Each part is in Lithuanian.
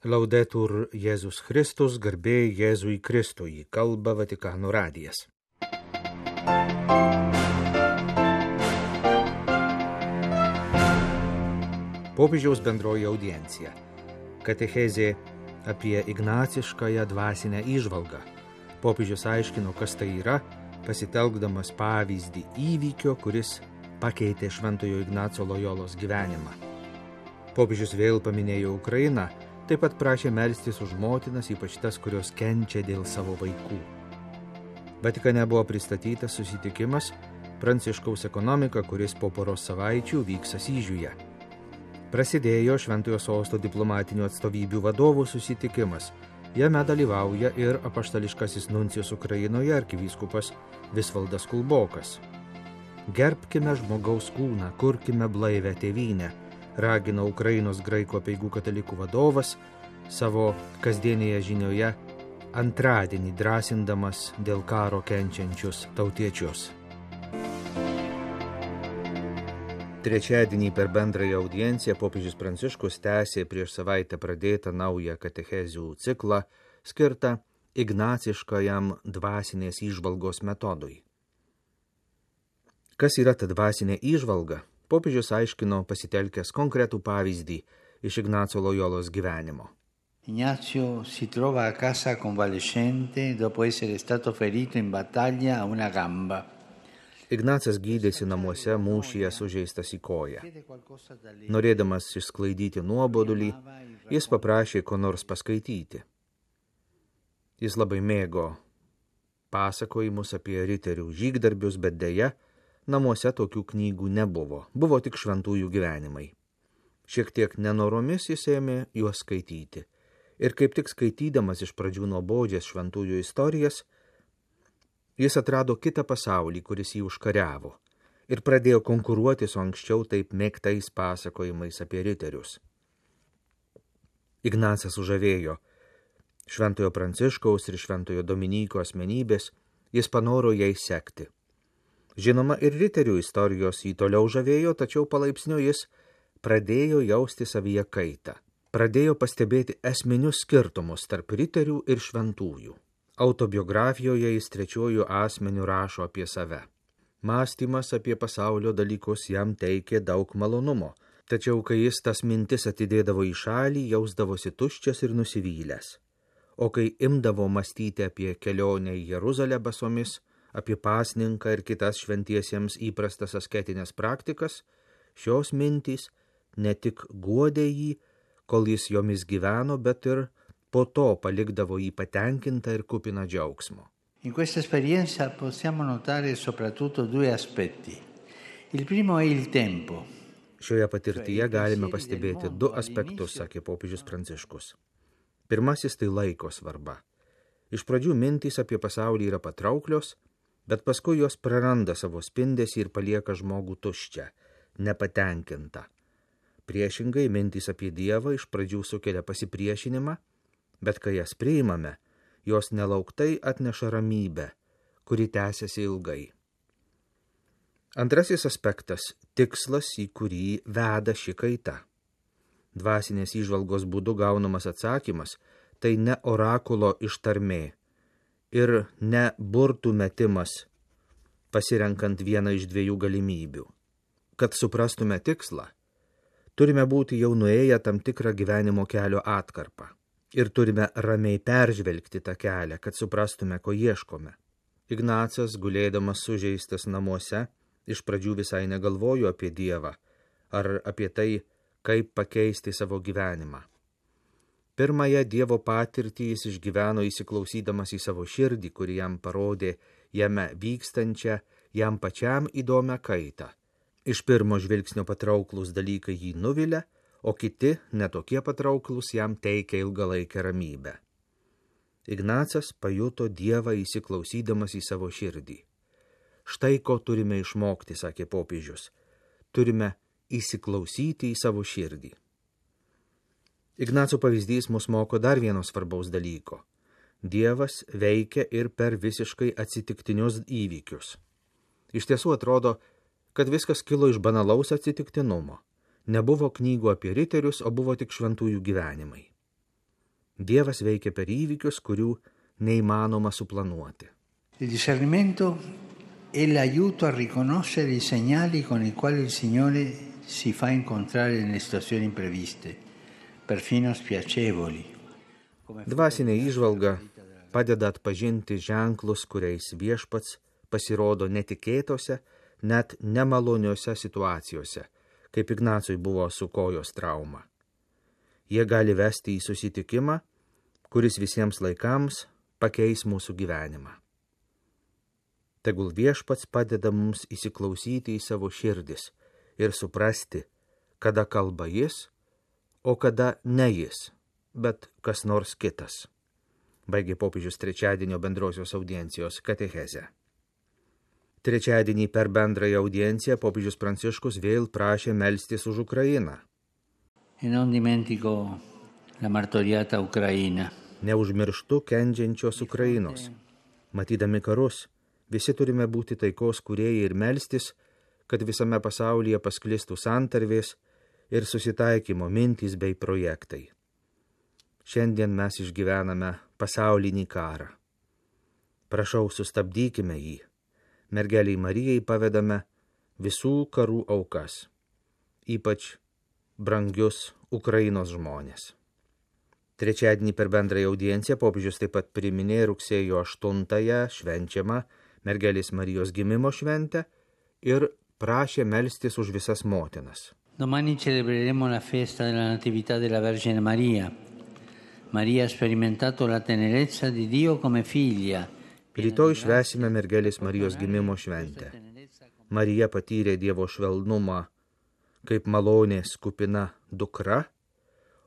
Laudetur Jėzus Kristus, garbė Jėzui Kristui, kalba Vatikano radijas. Popiežiaus bendroji audiencija. Katechezė apie ignaciškąją dvasinę įžvalgą. Popiežius aiškino, kas tai yra, pasitelkdamas pavyzdį įvykio, kuris pakeitė Šventojo Ignaco Lojolos gyvenimą. Popiežius vėl paminėjo Ukrainą, taip pat prašė melstis už motinas, ypač tas, kurios kenčia dėl savo vaikų. Vatikane buvo pristatytas susitikimas Pranciškaus ekonomika, kuris po poros savaičių vyks Asyžiuje. Prasidėjo Šventojo Sosto diplomatinių atstovybių vadovų susitikimas. Jame dalyvauja ir apaštališkasis nuncijus Ukrainoje arkivyskupas Visvaldas Kulbokas. Gerbkime žmogaus kūną, kurkime blaivę tėvynę, ragino Ukrainos graikų apeigų katalikų vadovas savo kasdienėje žinioje antradienį drąsindamas dėl karo kenčiančius tautiečius. Trečiadienį per bendrąją audienciją popiežius Pranciškus tęsė prieš savaitę pradėtą naują katechezių ciklą skirtą ignaciškajam dvasinės įžvalgos metodui. Kas yra ta dvasinė įžvalga? Popiežius aiškino pasitelkęs konkretų pavyzdį iš Ignaco Lojolos gyvenimo. Ignacio si trova a casa convalescente dopo essere stato ferito in battaglia a una gamba. Ignacas gydėsi namuose mūšyje sužeistas į koją. Norėdamas išsklaidyti nuobodulį, jis paprašė ko nors paskaityti. Jis labai mėgo pasakojimus apie riterių žygdarbius, bet deja, namuose tokių knygų nebuvo, buvo tik šventųjų gyvenimai. Šiek tiek nenoromis jis ėmė juos skaityti. Ir kaip tik skaitydamas iš pradžių nuobodžias šventųjų istorijas, jis atrado kitą pasaulį, kuris jį užkariavo, ir pradėjo konkuruoti su anksčiau taip mėgtais pasakojimais apie riterius. Ignacas sužavėjo Šventojo Pranciškaus ir Šventojo Dominyko asmenybės, jis panoro jais sekti. Žinoma, ir riterių istorijos jį toliau žavėjo, tačiau palaipsniui jis pradėjo jausti savyje kaitą. Pradėjo pastebėti esminius skirtumus tarp riterių ir šventųjų. Autobiografijoje jis trečiuoju asmeniu rašo apie save. Mąstymas apie pasaulio dalykus jam teikė daug malonumo, tačiau kai jis tas mintis atidėdavo į šalį, jausdavosi tuščias ir nusivylęs. O kai imdavo mąstyti apie kelionę į Jeruzalę basomis, apie pasninką ir kitas šventiesiems įprastas asketinės praktikas, šios mintys ne tik guodė jį, kol jis jomis gyveno, bet ir po to palikdavo jį patenkintą ir kupiną džiaugsmo. In questa esperienza possiamo notare soprattutto due aspetti. Il primo è il tempo. Šioje patirtyje galime pastebėti du aspektus, sakė popiežius Pranciškus. Pirmasis tai laiko svarba. Iš pradžių mintys apie pasaulį yra patrauklios, bet paskui jos praranda savo spindesį ir palieka žmogų tuščią, nepatenkintą. Priešingai, mintys apie Dievą iš pradžių sukelia pasipriešinimą, bet kai jas priimame, jos nelauktai atneša ramybę, kuri tęsiasi ilgai. Antrasis aspektas – tikslas, į kurį veda ši kaita. Dvasinės įžvalgos būdu gaunamas atsakymas – tai ne orakulo ištarmė ir ne burtų metimas, pasirenkant vieną iš dviejų galimybių. Kad suprastume tikslą, turime būti jau nuėję tam tikrą gyvenimo kelio atkarpą ir turime ramiai peržvelgti tą kelią, kad suprastume, ko ieškome. Ignacas, gulėdamas sužeistas namuose, iš pradžių visai negalvojo apie Dievą ar apie tai, kaip pakeisti savo gyvenimą. Pirmąją Dievo patirtį jis išgyveno įsiklausydamas į savo širdį, kuri jam parodė jame vykstančią, jam pačiam įdomią kaitą. Iš pirmo žvilgsnio patrauklus dalykai jį nuvilia, o kiti, netokie patrauklus, jam teikia ilgalaikę ramybę. Ignacas pajuto Dievą įsiklausydamas į savo širdį. Štai ko turime išmokti, sakė popiežius. Turime įsiklausyti į savo širdį. Ignaco pavyzdys mus moko dar vieno svarbaus dalyko. Dievas veikia ir per visiškai atsitiktinius įvykius. Iš tiesų atrodo, kad viskas kilo iš banalaus atsitiktinumo. Nebuvo knygų apie riterius, o buvo tik šventųjų gyvenimai. Dievas veikia per įvykius, kurių neįmanoma suplanuoti. Il discernimento è l'aiuto a riconoscere i segnali con i quali il Signore si fa incontrare nelle situazioni impreviste, perfino spiacevoli. Dvasinė įžvalga padeda atpažinti ženklus, kuriais viešpats pasirodo netikėtose, net nemaloniose situacijose, kaip Ignacui buvo su kojos trauma. Jie gali vesti į susitikimą, kuris visiems laikams pakeis mūsų gyvenimą. Tegul viešpats padeda mums įsiklausyti į savo širdis ir suprasti, kada kalba jis, o kada ne jis, bet kas nors kitas. Baigė popiežius trečiadienio bendrosios audiencijos katechezę. Trečiadienį per bendrąją audienciją popiežius Pranciškus vėl prašė melstis už Ukrainą. E non dimentico la martoriata Ucraina. Neužmirštu kenčiančios Ukrainos. Matydami karus, visi turime būti taikos kūrėjai ir melstis, kad visame pasaulyje pasklistų santarvės ir susitaikymo mintys bei projektai. Šiandien mes išgyvename pasaulinį karą. Prašau, sustabdykime jį. Mergeliai Marijai pavedame visų karų aukas, ypač brangius Ukrainos žmonės. Trečiadienį per bendrąją audienciją popiežius taip pat priminė rugsėjo 8-ąją švenčiamą Mergelės Marijos gimimo šventę ir prašė melstis už visas motinas. Domani celebreremo la festa della Natività della Vergine Maria. Maria ha sperimentato la tenerezza di Dio come figlia. Rytoj švęsime Mergelės Marijos gimimo šventę. Marija patyrė Dievo švelnumą kaip malonės kupina dukra,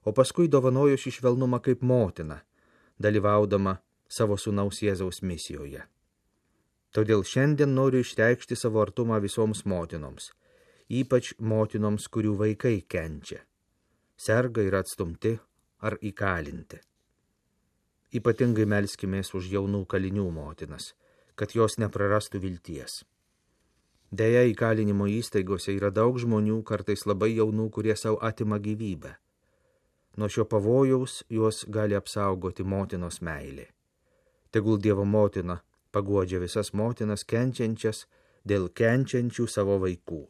o paskui dovanojo šį švelnumą kaip motina, dalyvaudama savo sūnaus Jėzaus misijoje. Todėl šiandien noriu išreikšti savo artumą visoms motinoms, ypač motinoms, kurių vaikai kenčia, serga ir atstumti ar įkalinti. Ypatingai melskimės už jaunų kalinių motinas, kad jos neprarastų vilties. Deja, įkalinimo įstaigose yra daug žmonių, kartais labai jaunų, kurie savo atima gyvybę. Nuo šio pavojaus juos gali apsaugoti motinos meilė. Tegul Dievo motina paguodžia visas motinas kenčiančias dėl kenčiančių savo vaikų.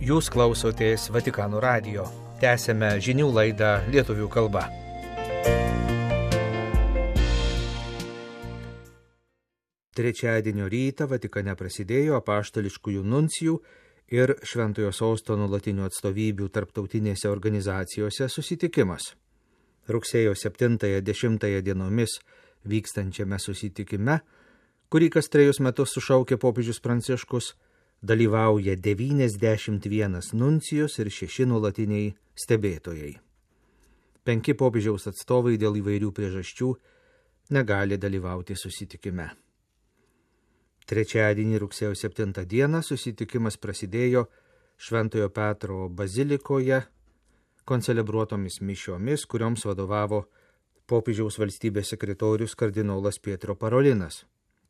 Jūs klausotės Vatikano radijo. Tęsėme žinių laidą lietuvių kalba. Trečiadienio rytą Vatikane prasidėjo apaštališkųjų nuncijų ir Šventojo Sosto nuolatinių atstovybių tarptautinėse organizacijose susitikimas. Rugsėjo 7-10 dienomis vykstančiame susitikime, kurį kas 3 metus sušaukė popiežius Pranciškus, dalyvauja 91 nuncijus ir 6 nuolatiniai stebėtojai. 5 popiežiaus atstovai dėl įvairių priežasčių negali dalyvauti susitikime. Trečiadienį rugsėjo 7 dieną susitikimas prasidėjo Šventojo Petro bazilikoje koncelebruotomis mišiomis, kurioms vadovavo popiežiaus valstybės sekretorius kardinolas Pietro Parolinas.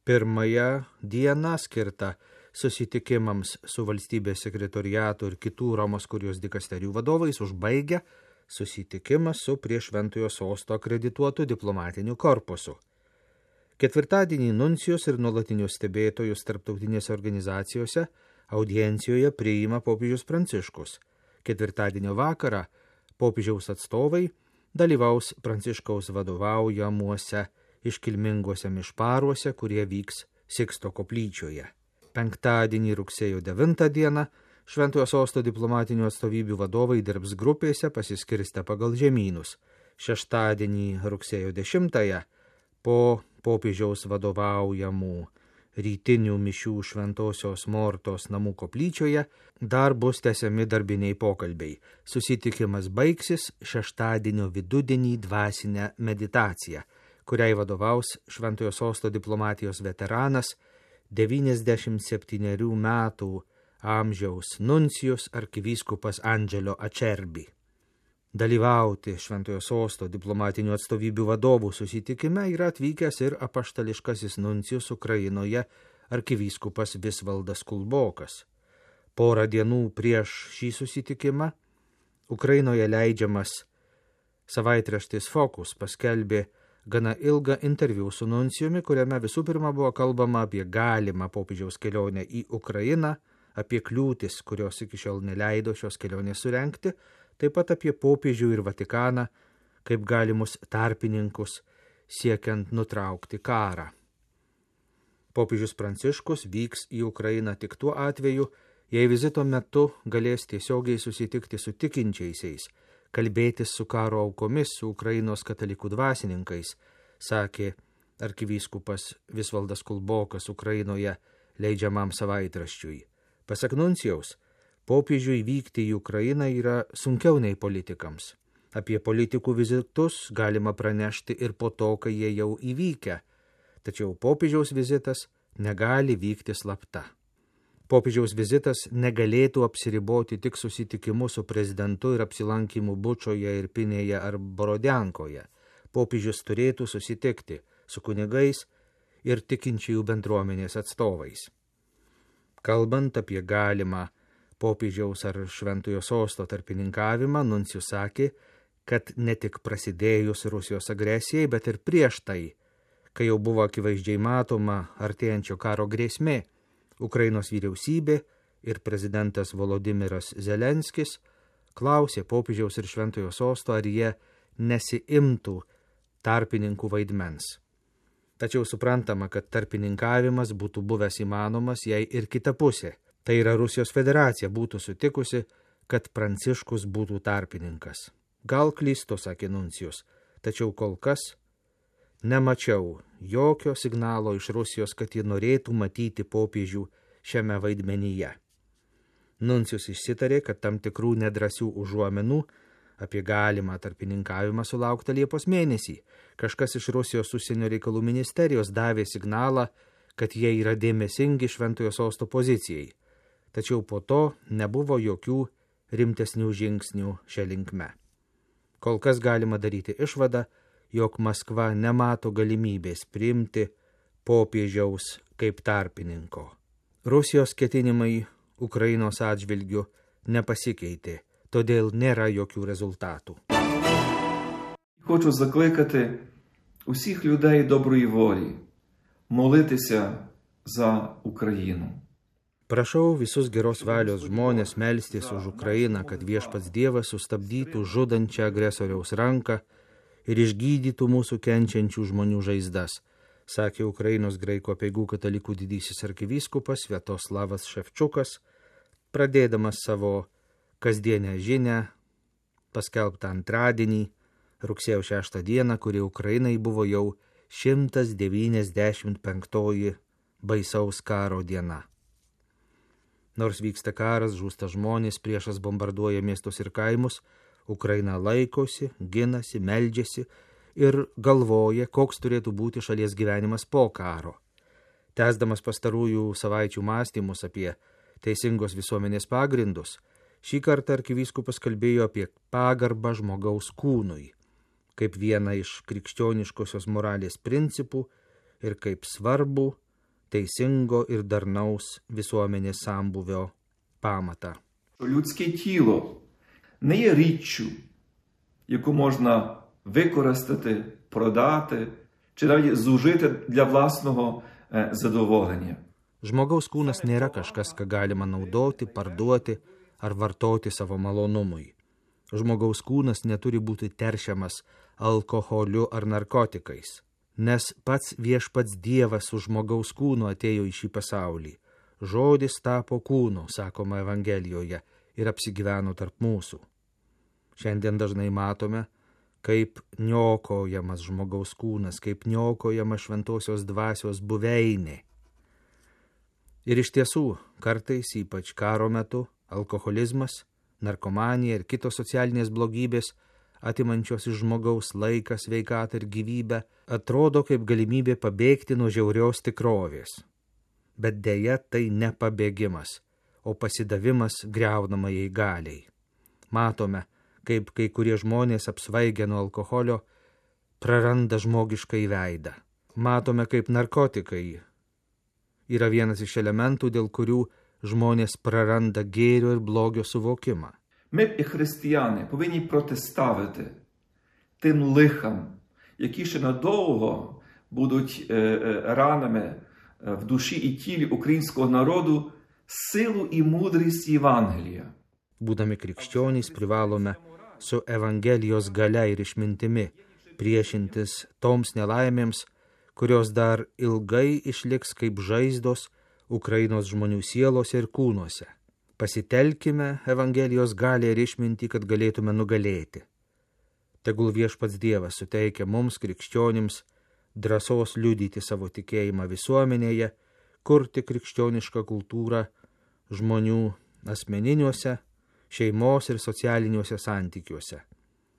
Pirmąją dieną skirta susitikimams su valstybės sekretoriato ir kitų Romos kurijos dikasterijų vadovais užbaigia susitikimas su prie Šventojo Sosto akredituotu diplomatiniu korpusu. Ketvirtadienį nuncijus ir nuolatinius stebėtojus tarptautinėse organizacijose audiencijoje priima popiežius Pranciškus. Ketvirtadienio vakarą popiežiaus atstovai dalyvaus Pranciškaus vadovaujamuose iškilminguose mišparuose, kurie vyks Siksto koplyčioje. Penktadienį rugsėjo 9 dieną Šventojo Sosto diplomatinių atstovybių vadovai dirbs grupėse pasiskirstę pagal žemynus. Šeštadienį rugsėjo 10 po popiežiaus vadovaujamų rytinių mišių Šventosios Mortos namų koplyčioje dar bus tęsiami darbiniai pokalbiai. Susitikimas baigsis šeštadienio vidudienį dvasinę meditaciją, kuriai vadovaus Šventojo Sosto diplomatijos veteranas 97 metų amžiaus nuncijus arkivyskupas Angelo Acerbi. Dalyvauti Šventojo Sosto diplomatinių atstovybių vadovų susitikime yra atvykęs ir apaštališkasis nuncijus Ukrainoje arkivyskupas Visvaldas Kulbokas. Porą dienų prieš šį susitikimą Ukrainoje leidžiamas savaitraštis Focus paskelbė gana ilgą interviu su nuncijumi, kuriame visų pirma buvo kalbama apie galimą popiežiaus kelionę į Ukrainą, apie kliūtis, kurios iki šiol neleido šios kelionės surengti, taip pat apie popiežių ir Vatikaną kaip galimus tarpininkus siekiant nutraukti karą. Popiežius Pranciškus vyks į Ukrainą tik tuo atveju, jei vizito metu galės tiesiogiai susitikti su tikinčiaisiais, kalbėtis su karo aukomis, su Ukrainos katalikų dvasininkais, sakė arkivyskupas Visvaldas Kulbokas Ukrainoje leidžiamam savaitraščiui. Pasak nuncijaus, popiežiui vykti į Ukrainą yra sunkiau nei politikams. Apie politikų vizitus galima pranešti ir po to, kai jie jau įvykę, tačiau popiežiaus vizitas negali vykti slapta. Popiežiaus vizitas negalėtų apsiriboti tik susitikimu su prezidentu ir apsilankimu Bučoje, Irpinėje ar Borodiankoje. Popiežius turėtų susitikti su kunigais ir tikinčiųjų bendruomenės atstovais. Kalbant apie galimą popiežiaus ar Šventojo Sosto tarpininkavimą, nuncijus sakė, kad ne tik prasidėjus Rusijos agresijai, bet ir prieš tai, kai jau buvo akivaizdžiai matoma artėjančio karo grėsmė, Ukrainos vyriausybė ir prezidentas Volodimiras Zelenskis klausė popiežiaus ir Šventojo Sosto, ar jie nesiimtų tarpininkų vaidmens. Tačiau suprantama, kad tarpininkavimas būtų buvęs įmanomas, jei ir kita pusė, tai yra Rusijos federacija, būtų sutikusi, kad Pranciškus būtų tarpininkas. Gal klystu, sakė nuncijus, tačiau kol kas nemačiau jokio signalo iš Rusijos, kad ji norėtų matyti popiežių šiame vaidmenyje. Nuncijus išsitarė, kad tam tikrų nedrąsių užuomenų apie galimą tarpininkavimą sulaukta Liepos mėnesį. Kažkas iš Rusijos užsienio reikalų ministerijos davė signalą, kad jie yra dėmesingi Šventojo Sosto pozicijai. Tačiau po to nebuvo jokių rimtesnių žingsnių šia linkme. Kol kas galima daryti išvadą, jog Maskva nemato galimybės priimti popiežiaus kaip tarpininko. Rusijos ketinimai Ukrainos atžvilgiu nepasikeitė, todėl nėra jokių результату. Хочу закликати усіх людей доброї волі молитися за Україну. Prašau visus geros valios žmonės melstis už Ukrainą, kad viešpats Dievas sustabdytų žudančią agresoriaus ranką ir išgydytų mūsų kenčiančių žmonių žaizdas, sakė Ukrainos graikų apeigų katalikų didysis arkivyskupas Sviatoslavas Ševčiukas, pradėdamas savo kasdienę žinią, paskelbtą antradienį, rugsėjo 6 dieną, kuri Ukrainai buvo jau 195 baisaus karo diena. Nors vyksta karas, žūsta žmonės, priešas bombarduoja miestus ir kaimus, Ukraina laikosi, ginasi, meldžiasi ir galvoja, koks turėtų būti šalies gyvenimas po karo. Tęsdamas pastarųjų savaičių mąstymus apie teisingos visuomenės pagrindus, šį kartą arkivyskupas kalbėjo apie pagarbą žmogaus kūnui, kaip vieną iš krikščioniškosios moralės principų ir kaip svarbu teisingo ir darnaus visuomenės sambuvio pamatą. Людське тіло не є річчю, яку можна використати, продати чи навіть зужити для власного задоволення. Žmogaus kūnas nėra kažkas, ką galima naudoti, parduoti ar vartoti savo malonumui. Žmogaus kūnas neturi būti teršiamas alkoholiu ar narkotikais, nes pats viešpats Dievas su žmogaus kūnu atėjo į šį pasaulį. Žodis tapo kūnu, sakoma Evangelijoje, ir apsigyveno tarp mūsų. Šiandien dažnai matome, kaip niokojamas žmogaus kūnas, kaip niokojama šventosios dvasios buveinė. Ir iš tiesų, kartais, ypač karo metu, alkoholizmas, narkomanija ir kitos socialinės blogybės, atimančios iš žmogaus laiką, sveikatą ir gyvybę, atrodo kaip galimybė pabėgti nuo žiaurios tikrovės. Bet deja, tai ne pabėgimas, o pasidavimas griaunamajai galiai. Matome, kaip kai kurie žmonės apsvaigę nuo alkoholio praranda žmogiškai veidą. Matome, kaip narkotikai yra vienas iš elementų, dėl kurių žmonės praranda gėrio ir blogio suvokimą. Ми, як християни, повинні протиставити тим лихам, які ще надовго будуть ранами в душі і тілі українського народу, силу і мудрість Євангелія. Būdami krikščionys privalome su Evangelijos galia ir išmintimi priešintis toms nelaimėms, kurios dar ilgai išliks kaip žaizdos Ukrainos žmonių sielose ir kūnuose. Pasitelkime Evangelijos galią ir išmintį, kad galėtume nugalėti. Tegul viešpats Dievas suteikia mums, krikščionims, drąsos liudyti savo tikėjimą visuomenėje, kurti krikščionišką kultūrą žmonių asmeniniuose, šeimos ir socialiniuose santykiuose.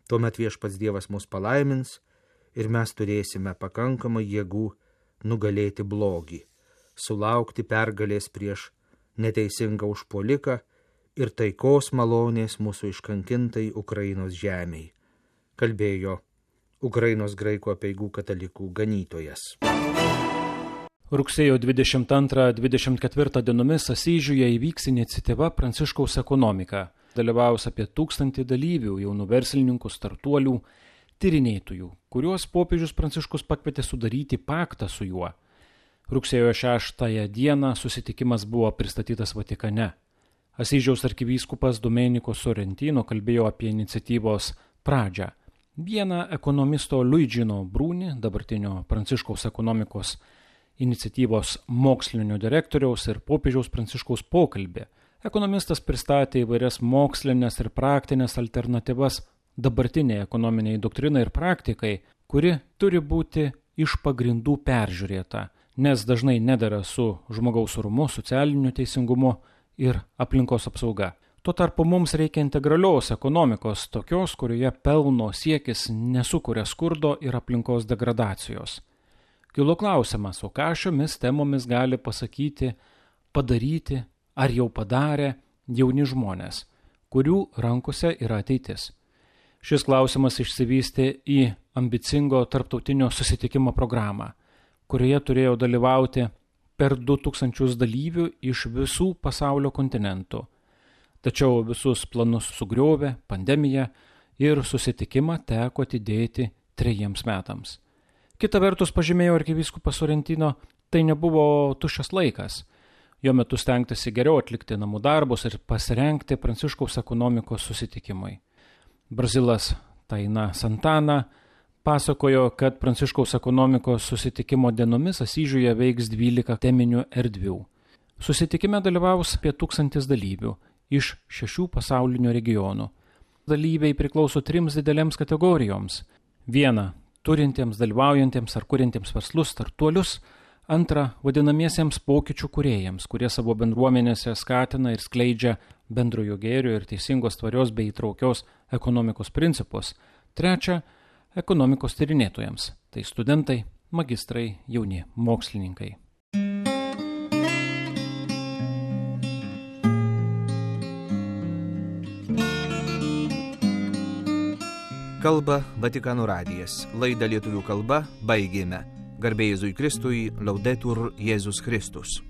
Tuomet viešpats Dievas mus palaimins ir mes turėsime pakankamai jėgų nugalėti blogį, sulaukti pergalės prieš neteisingą užpuoliką ir taikos malonės mūsų iškankintai Ukrainos žemei, kalbėjo Ukrainos graikų apeigų katalikų ganytojas. Rugsėjo 22-24 dienomis Asyžiuje įvyks iniciatyva Pranciškaus ekonomika. Dalyvaus apie 1000 dalyvių, jaunų verslininkų, startuolių, tyrinėtojų, kuriuos popiežius Pranciškus pakvietė sudaryti paktą su juo. Rugsėjo 6 dieną susitikimas buvo pristatytas Vatikane. Asyžiaus arkivyskupas Domenico Sorrentino kalbėjo apie iniciatyvos pradžią. Vieną ekonomisto Luigino Bruni, dabartinio Pranciškaus ekonomikos iniciatyvos mokslinio direktoriaus ir popiežiaus Pranciškaus pokalbį. Ekonomistas pristatė įvairias mokslinės ir praktinės alternatyvas dabartiniai ekonominiai doktrinai ir praktikai, kuri turi būti iš pagrindų peržiūrėta, nes dažnai nedera su žmogaus orumu, socialiniu teisingumu ir aplinkos apsauga. Tuo tarpu mums reikia integralios ekonomikos, tokios, kurioje pelno siekis nesukuria skurdo ir aplinkos degradacijos. Kilo klausimas, o ką šiomis temomis gali pasakyti, padaryti ar jau padarė jauni žmonės, kurių rankose yra ateitis. Šis klausimas išsivystė į ambicingo tarptautinio susitikimo programą, kurioje turėjo dalyvauti per 2000 dalyvių iš visų pasaulio kontinentų. Tačiau visus planus sugriovė pandemija ir susitikimą teko atidėti 3 metams. Kita vertus, pažymėjo arkivyskupas Sorrentino, tai nebuvo tuščias laikas. Jo metu stengtasi geriau atlikti namų darbus ir pasirengti Pranciškaus ekonomikos susitikimui. Brazilas Taina Santana pasakojo, kad Pranciškaus ekonomikos susitikimo dienomis Asyžiuje veiks 12 teminių erdvių. Susitikime dalyvaus apie 1000 dalyvių iš 6 pasaulinių regionų. Dalyviai priklauso 3 didelėms kategorijoms. 1. Turintiems, dalyvaujantiems ar kuriantiems verslus, startuolius. 2. Vadinamiesiems pokyčių kūrėjams, kurie savo bendruomenėse skatina ir skleidžia bendrojo gėrio ir teisingos, tvarios bei įtraukios ekonomikos principus. 3. Ekonomikos tyrinėtojams, tai studentai, magistrai, jauni mokslininkai. Kalba Vatikano radijas. Laidą lietuvių kalba baigėme. Garbė Jėzui Kristui, Laudetur Jėzus Kristus.